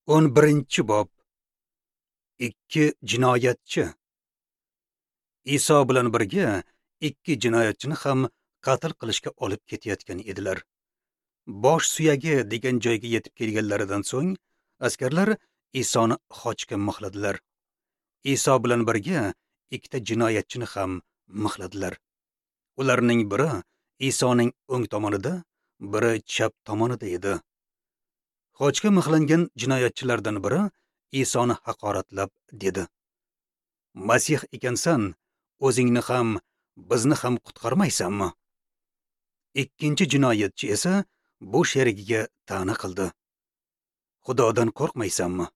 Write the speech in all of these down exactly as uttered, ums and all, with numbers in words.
O'n birinchi bob. Ikki jinoyatchi. Iso bilan birga ikki jinoyatchini ham qatl qilishga olib ketayotgan edilar. Bosh suyagi degan joyga yetib kelganlaridan so'ng askarlar Isoni xochga mixladilar. Iso bilan birga ikkita jinoyatchini ham mixladilar. Ularning biri Isoning o'ng tomonida, biri chap tomonida edi. Xochga mixlangan jinoyatchilardan biri Isoni haqoratlab dedi: "Masih ekansan, o'zingni ham, bizni ham qutqarmaysanmi?" Ikkinchi jinoyatchi esa bu sherigiga ta'na qildi: "Xudodan qo'rqmaysanmi?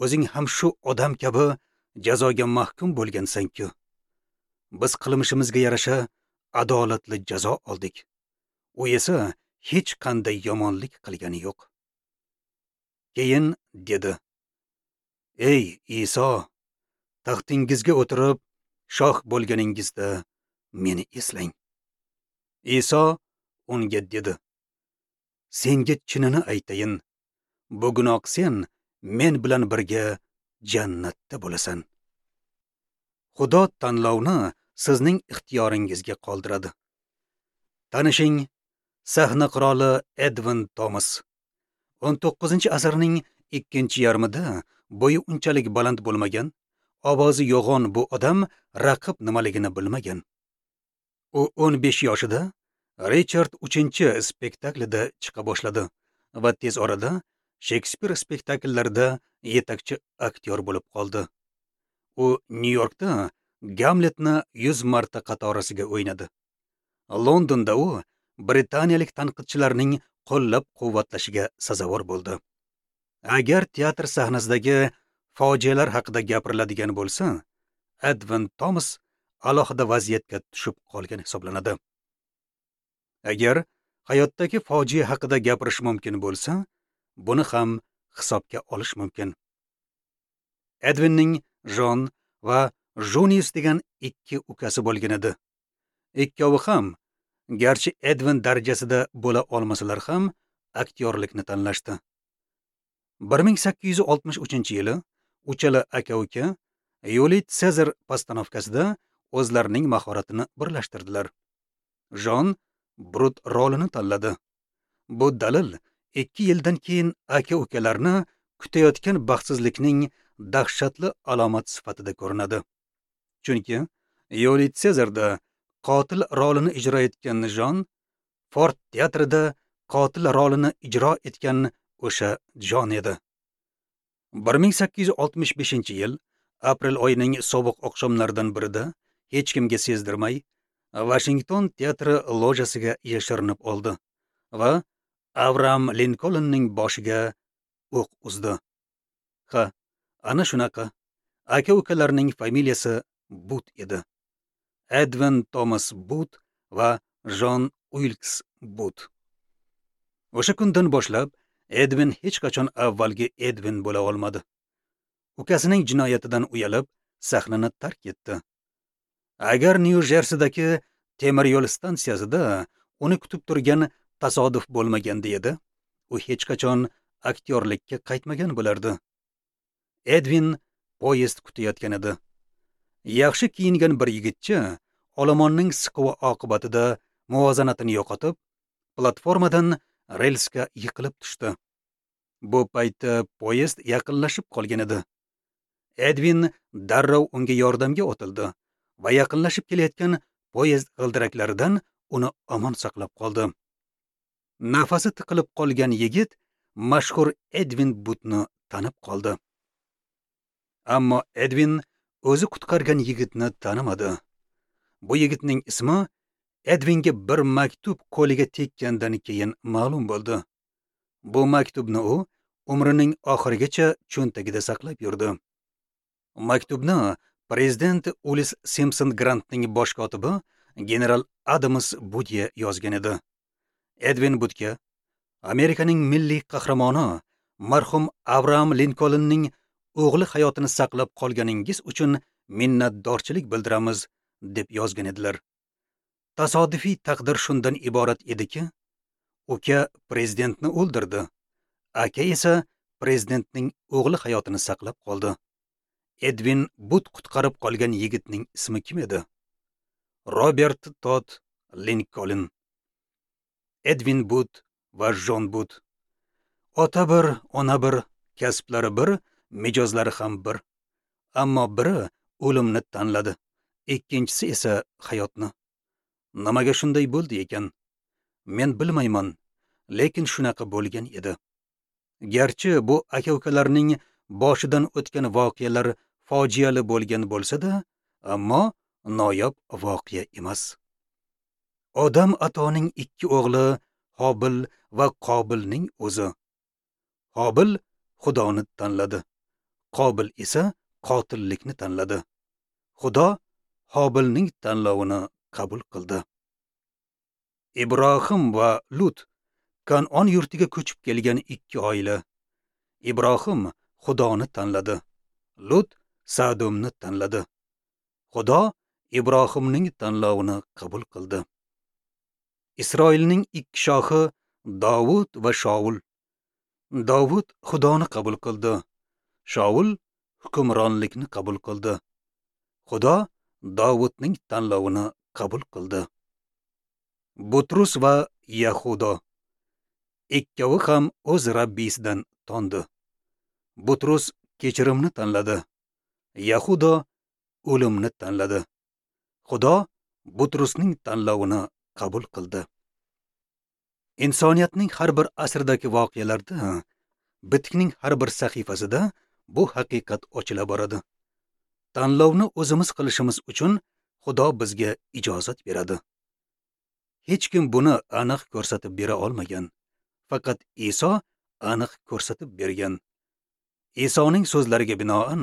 O'zing ham shu odam kabi jazoga mahkum bo'lgansan-ku. Biz qilmishimizga yarasha adolatli jazo oldik. U esa hech qanday yomonlik qilgani yo'q." Keyin dedi: "Ey Iso, taxtingizga o'tirib shoh bo'lganingizda meni eslang." Iso unga dedi: "Senga chinini aytayin, bugunoq sen men bilan birga jannatda bo'lasan." Xudo tanlovni sizning ixtiyoringizga qoldiradi. Tanishing, sahna qiroli Edvin Tomas. o'n to'qqizinchi asrning ikkinchi yarmida bo'yi unchalik baland bo'lmagan, ovozi yo'g'on bu odam raqib nimaligini bilmagan. U o'n besh yoshida Richard uchinchi spektaklida chiqa boshladi va tez orada Shekspir spektakllarida yetakchi aktyor bo'lib qoldi. U Nyu-Yorkda Gamletni yuz marta qatorasiga o'ynadi. Londonda u britaniyalik tanqidchilarning qo'llab-quvvatlashiga sazovor bo'ldi. Agar teatr sahnasidagi fojialar haqida gapiriladigan bo'lsa, Edvin Tomas alohida vaziyatga tushib qolgan hisoblanadi. Agar hayotdagi fojia haqida gapirish mumkin bo'lsa, buni ham hisobga olish mumkin. Edvinning Jon va Junius degan ikki ukasi bo'lgan edi. Ikkovi ham, garchi Edvin darajasida bo'la olmasalar ham, aktyorlikni tanlashdi. bir ming sakkiz yuz oltmish uchinchi yili uchala aka-uka Yuliy Sezar postanovkasida o'zlarining mahoratini birlashtirdilar. Jon Brut rolini tanladi. Bu dalil ikki yildan keyin aka-ukalarni kutayotgan baxtsizlikning dahshatli alomat sifatida ko'rinadi. Chunki Yuliy Sezarda qotil rolini ijro etgan Jon, Ford teatrida qotil rolini ijro etgan o'sha Jon edi. bir ming sakkiz yuz oltmish beshinchi yil aprel oyining sovuq oqshomlaridan birida hech kimga sezdirmay Vashington teatri lojasiga yashirinib oldi va Abraham Linkolnning boshiga o'q uzdi. Ha, ana shunaqa. Aka-ukalarning familiyasi But edi. Edvin Tomas But va Jon Uilks But. O'sha kundan boshlab Edvin hech qachon avvalgi Edvin bo'la olmadi. Ukasining jinoyatidan uyalib, sahnani tark etdi. Agar Nyu-Jersidagi temir yo'l stansiyasida uni kutib turgan tasodif bo'lmaganda edi, u hech qachon aktyorlikka qaytmagan bo'lardi. Edvin poyezd kutayotgan edi. Yaxshi kiyingan bir yigitcha olomonning siquvi oqibatida muvozanatini yo'qotib, platformadan relsga yiqilib tushdi. Bu paytda poyezd yaqinlashib qolgan edi. Edvin darrov unga yordamga otildi va yaqinlashib kelayotgan poyezd g'ildiraklaridan uni omon saqlab qoldi. Nafasi tiqilib qolgan yigit mashhur Edvin Butni tanib qoldi. Ammo Edvin o'zi qutqargan yigitni tanimadi. Bu yigitning ismi Edvinga bir maktub qo'liga tekkandan keyin ma'lum bo'ldi. Bu maktubni u umrining oxirigacha cho'ntagida saqlab yurdi. Maktubni prezident Ulis Simpson Grantning bosh kotibi general Adams Budye yozgan edi. Edvin Butga Amerikaning milliy qahramoni marhum Abraham Linkolnning o'g'li hayotini saqlab qolganingiz uchun minnatdorchilik bildiramiz deb yozgan edilar. Tasodifiy taqdir shundan iborat ediki, uka prezidentni o'ldirdi, aka esa prezidentning o'g'li hayotini saqlab qoldi. Edvin But qutqarib qolgan yigitning ismi kim edi? Robert Todd Lincoln. Edvin But va Jon But. Ota bir, ona bir, kasblari bir, mijozlari ham bir. Ammo biri o'limni tanladi, ikkinchisi esa hayotni. Nimaga shunday bo'ldi ekan? Men bilmayman, lekin shunaqa bo'lgan edi. Garchi bu aka-ukalarning boshidan o'tgan voqealar fojiali bo'lgan bo'lsa-da, ammo noyob voqea emas. Odam atoning ikki o'g'li Hobil va Qobilning o'zi. Hobil Xudoni tanladi. Qobil esa qotillikni tanladi. Xudo Hobilning tanlovini qabul qildi. Ibrohim va Lut Kan'on yurtiga ko'chib kelgan ikki oila. Ibrohim Xudoni tanladi. Lut Sadomni tanladi. Xudo Ibrohimning tanlovini qabul qildi. Isroilning ikki shohi Davud va Shaul. Davud Xudoni qabul qildi. Shaul hukmronlikni qabul qildi. Xudo Davudning tanlovini qabul qildi. Butrus va Yahudo ikkovi ham o'z Rabbisidan tondi. Butrus kechirimni tanladi. Yahudo o'limni tanladi. Xudo Butrusning tanlovini qabul qildi. Insoniyatning har bir asridagi voqealarda, bitikning har bir sahifasida bu haqiqat ochila boradi. Tanlovni o'zimiz qilishimiz uchun Xudo bizga ijozat beradi. Hech kim buni aniq ko'rsatib bera olmagan. Faqat Iso aniq ko'rsatib bergan. Isoning so'zlariga binoan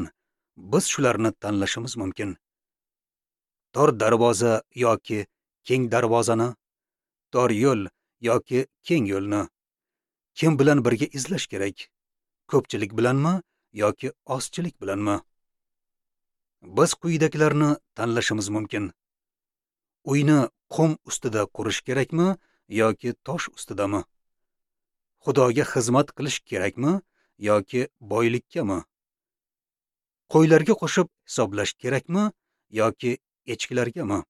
biz shularni tanlashimiz mumkin. Tor darvoza yoki keng darvozani, tor yo'l yoki keng yo'lni kim bilan birga izlash kerak? Ko'pchilik bilanmi yoki ozchilik bilanmi? Biz quyidagilarni tanlashimiz mumkin. Uyni qum ustida qurish kerakmi yoki tosh ustidami? Xudoga xizmat qilish kerakmi yoki boylikkami? Qo'ylarga qo'shib hisoblash kerakmi yoki echkilargami?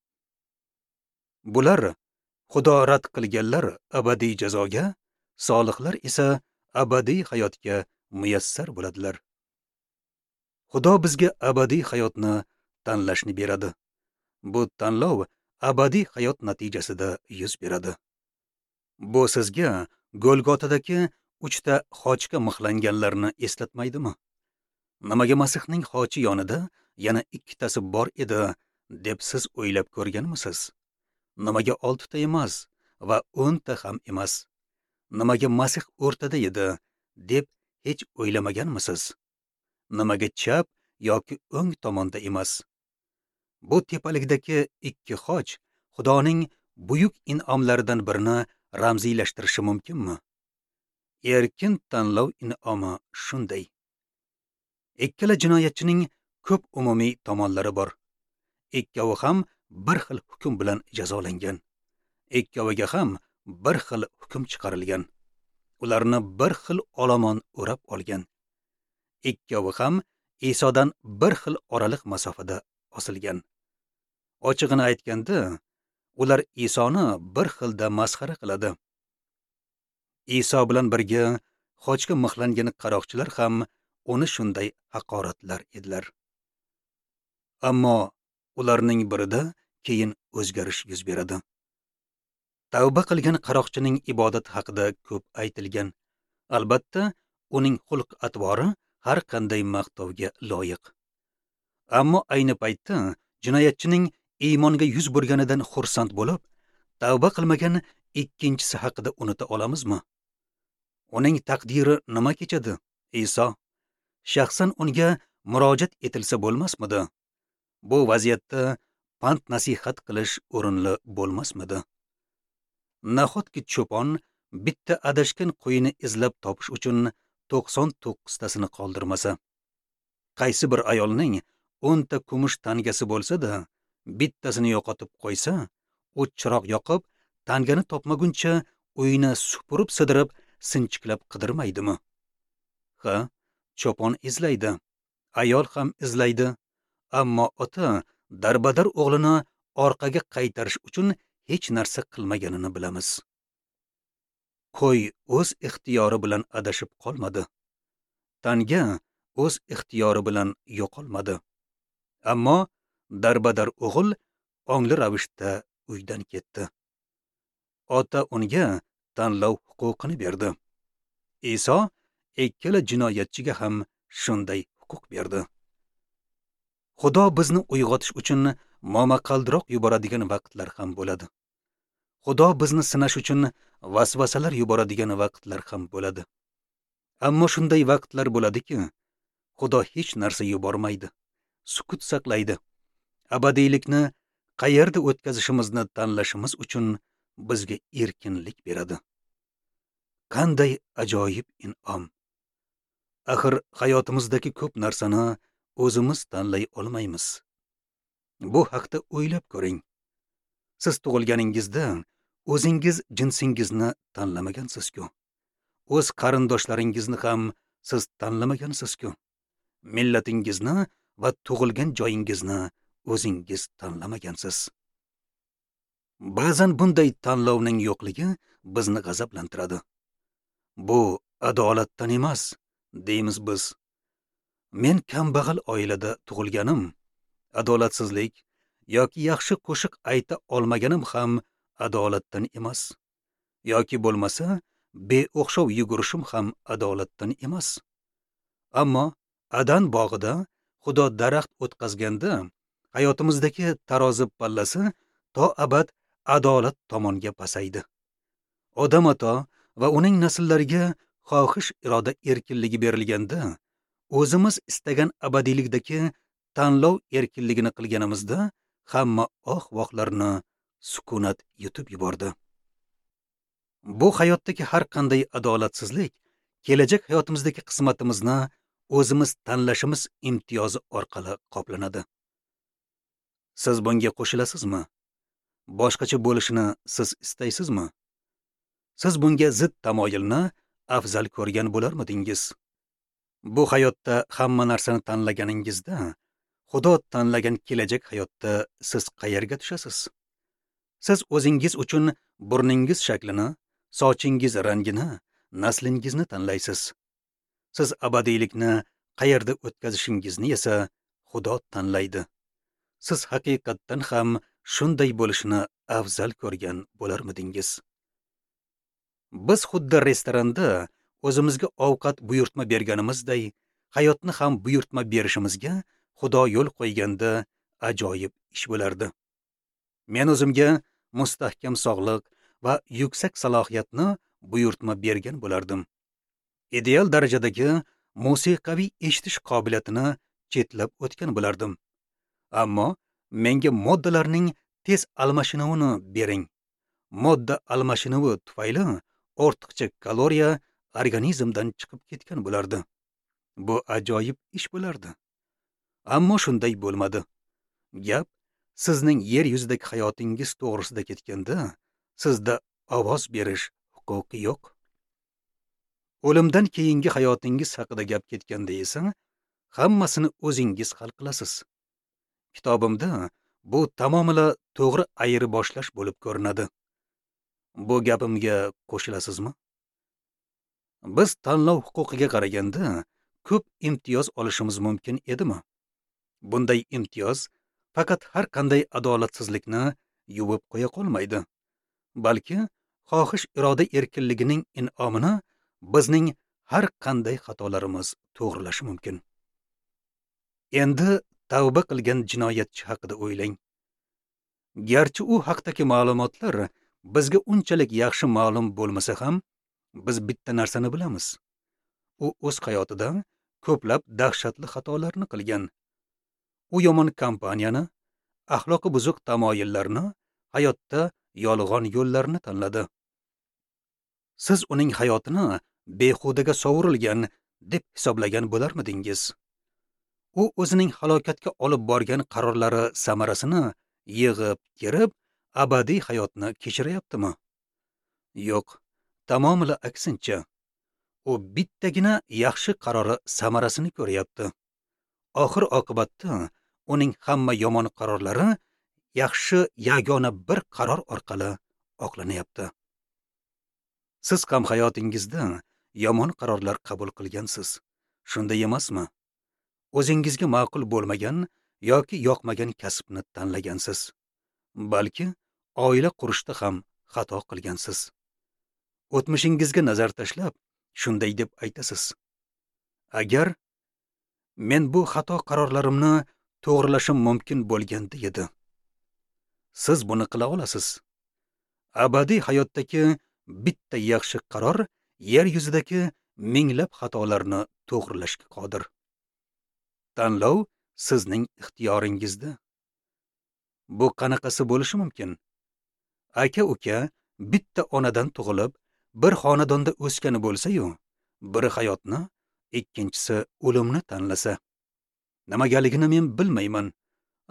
Bular Xudo rad qilganlar abadiy jazoga, solihlar esa abadiy hayotga muyassar bo'ladilar. Xudo bizga abadiy hayotni tanlashni beradi. Bu tanlov abadiy hayot natijasida yuz beradi. Bu sizga Golgotadagi uchta xochga mixlanganlarni eslatmaydimi? Nimaga Masihning xochi yonida yana ikkitasi bor edi deb siz o'ylab ko'rganmisiz? Nimaga oltita emas va o'nta ham emas? Nimaga Masih o'rtada edi deb hech o'ylamaganmisiz? Nimaga chap yoki o'ng tomonda emas? Bu tepalikdagi ikki xoch Xudoning buyuk in'omlaridan birini ramziylashtirishi mumkinmi? Erkin tanlov in'omi shunday. Ikkala jinoyatchining ko'p umumiy tomonlari bor. Ikkovi ham bir xil hukm bilan jazolangan. Ikkoviga ham bir xil hukm chiqarilgan. Ularni bir xil olomon o'rab olgan. Ikkovi ham Isodan bir xil oraliq masofada osilgan. Ochig'ini aytganda, ular Isoni bir xilda masxara qiladi. Iso bilan birga xochga mixlangan qaroqchilar ham uni shunday haqoratlar edilar. Ammo ularning birida keyin o'zgarish yuz beradi. Tavba qilgan qaroqchining ibodati haqida ko'p aytilgan. Albatta, uning xulq-atvori har qanday maqtovga loyiq. Ammo ayni paytda jinoyatchining iymonga yuz burganidan xursand bo'lib, tavba qilmagan ikkinchisi haqida unuta olamizmi? Uning taqdiri nima kechadi, Iso? Shaxsan unga murojaat etilsa bo'lmasmidi? Bu vaziyatda pand nasihat qilish o'rinli bo'lmasmidi? Nahotki cho'pon bitta adashgan qo'yini izlab topish uchun to'qson to'qqiztasini qoldirmasa? Qaysi bir ayolning o'nta kumush tangasi bo'lsa-da, bittasini yo'qotib qo'ysa, u chiroq yoqib, tangani topmaguncha uyini supurib sidirib, sinchiklab qidirmaydimi? Ha, cho'pon izlaydi, ayol ham izlaydi, ammo ota darbadar o'g'lini orqaga qaytarish uchun hech narsa qilmaganini bilamiz. Qo'y o'z ixtiyori bilan adashib qolmadi. Tanga o'z ixtiyori bilan yo'qolmadi. Ammo darbadar o'g'il ongli ravishda uydan ketdi. Ota unga tanlov huquqini berdi. Iso ikkala jinoyatchiga ham shunday huquq berdi. Xudo bizni uyg'otish uchun momaqaldiroq yuboradigan vaqtlar ham bo'ladi. Xudo bizni sinash uchun vasvasalar yuboradigan vaqtlar ham bo'ladi. Ammo shunday vaqtlar bo'ladiki, Xudo hech narsa yubormaydi, sukut saqlaydi. Abadiylikni qayerda o'tkazishimizni tanlashimiz uchun bizga erkinlik beradi. Qanday ajoyib in'om! Axir hayotimizdagi ko'p narsani o'zimiz tanlay olmaymiz. Bu haqda o'ylab ko'ring. Siz tug'ilganingizda o'zingiz jinsingizni tanlamagansiz-ku. O'z qarindoshlaringizni ham siz tanlamagansiz-ku. Millatingizni va tug'ilgan joyingizni o'zingiz tanlamagansiz. Ba'zan bunday tanlovning yo'qligi bizni g'azablantiradi. Bu adolatdan emas, deymiz biz. Men kambag'al oilada tug'ilganim, adolatsizlik yoki yaxshi qo'shiq ayta olmaganim ham adolatdan emas. Yoki bo'lmasa, beo'xshov yugurishim ham adolatdan emas. Ammo Adan bog'ida Xudo daraxt o'tqazganda hayotimizdagi tarozi pallasi to abad adolat tomonga pasaydi. Odam ota va uning nasllariga xohish iroda erkinligi berilganda, o'zimiz istagan abadiylikdagi tanlov erkinligini qilganimizda hamma oh-vohlarni sukunat yutib yubordi. Bu hayotdagi har qanday adolatsizlik kelajak hayotimizdagi qismatimizni o'zimiz tanlashimiz imtiyozi orqali qoplanadi. Siz bunga qo'shilasizmi? Boshqacha bo'lishini siz istaysizmi? Siz bunga zid tamoyilni afzal ko'rgan bo'larmidingiz? Bu hayotda hamma narsani tanlaganingizda, Xudo tanlagan kelajak hayotda siz qayerga tushasiz? Siz o'zingiz uchun burningiz shaklini, sochingiz rangini, naslingizni tanlaysiz. Siz abadiylikni qayerda o'tkazishingizni esa Xudo tanlaydi. Siz haqiqatdan ham shunday bo'lishini afzal ko'rgan bo'larmidingiz? Biz xuddi restoranda o'zimizga ovqat buyurtma berganimizday, hayotni ham buyurtma berishimizga Xudo yo'l qo'yganda ajoyib ish bo'lardi. Men o'zimga mustahkam sog'liq va yuksak salohiyatni buyurtma bergan bo'lardim. Ideal darajadagi musiqaviy eshitish qobiliyatini chetlab o'tgan bo'lardim. Ammo menga moddalarning tez almashinuvini bering. Modda almashinuvi tufayli ortiqcha kaloriya organizmdan chiqib ketgan bo'lardi. Bu ajoyib ish bo'lardi. Ammo shunday bo'lmadi. Gap sizning yer yuzidagi hayotingiz to'g'risida ketganda, sizda ovoz berish huquqi yo'q. O'limdan keyingi hayotingiz haqida gap ketganda esa, hammasini o'zingiz hal qilasiz. Kitobimda bu tamomila to'g'ri ayirboshlash bo'lib ko'rinadi. Bu gapimga qo'shilasizmi? Biz tanlov huquqiga qaraganda ko'p imtiyoz olishimiz mumkin edimi? Bunday imtiyoz faqat har qanday adolatsizlikni yuvib qo'ya qolmaydi, balki xohish iroda erkinligining in'omini bizning har qanday xatolarimiz to'g'rilashi mumkin. Endi tavba qilgan jinoyatchi haqida o'ylang. Garchi u haqdagi ma'lumotlar bizga unchalik yaxshi ma'lum bo'lmasa ham, biz bitta narsani bilamiz. U o'z hayotida ko'plab dahshatli xatolarni qilgan. U yomon kompaniyani, axloqi buzuq tamoyillarni, hayotda yolg'on yo'llarni tanladi. Siz uning hayotini behudaga sovurilgan deb hisoblagan bo'larmidingiz? U o'zining halokatga olib borgan qarorlari samarasini yig'ib, terib, abadiy hayotni kechirayaptimi? Yo'q, tamomila aksincha. U bittagina yaxshi qarori samarasini ko'ryapti. Oxir oqibatda uning hamma yomon qarorlari yaxshi yagona bir qaror orqali oqlanyapti. Siz ham hayotingizda yomon qarorlar qabul qilgansiz. Shunday emasmi? O'zingizga ma'qul bo'lmagan yoki yoqmagan kasbni tanlagansiz. Balki oila qurishda ham xato qilgansiz. O'tmishingizga nazar tashlab, shunday deb aytasiz: agar men bu xato qarorlarimni to'g'rilashim mumkin bo'lganda edi. Siz buni qila olasiz. Abadiy hayotdagi bitta yaxshi qaror yer yuzidagi minglab xatolarni to'g'rilashga qodir. Tanlov sizning ixtiyoringizda. Bu qanaqasi bo'lishi mumkin? Aka-uka bitta onadan tug'ilib, bir xonadonda o'sgani bo'lsa-yu, biri hayotni, ikkinchisi o'limni tanlasa. Nimagaligini men bilmayman,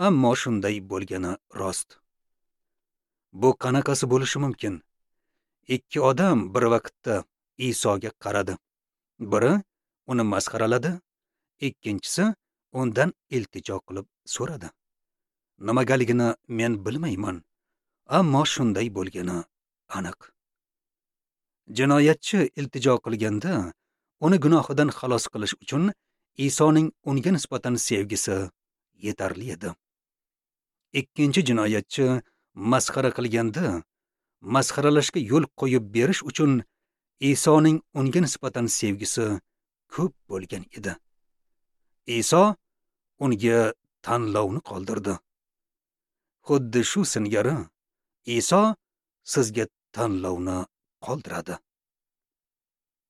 ammo shunday bo'lgani rost. Bu qanaqasi bo'lishi mumkin? Ikki odam bir vaqtda Isoga qaradi. Biri uni masxaraladi, ikkinchisi undan iltijo qilib so'radi. Nimagaligini men bilmayman, ammo shunday bo'lgani aniq. Jinoyatchi iltijo qilganda, uni gunohidan xalos qilish uchun Isoning unga nisbatan sevgisi yetarli edi. Ikkinchi jinoyatchi masxara qilganda, masxaralashga yo'l qo'yib berish uchun Isoning unga nisbatan sevgisi ko'p bo'lgan edi. Iso unga tanlovni qoldirdi. Xuddi shu singari Iso sizga tanlovni qoldiradi.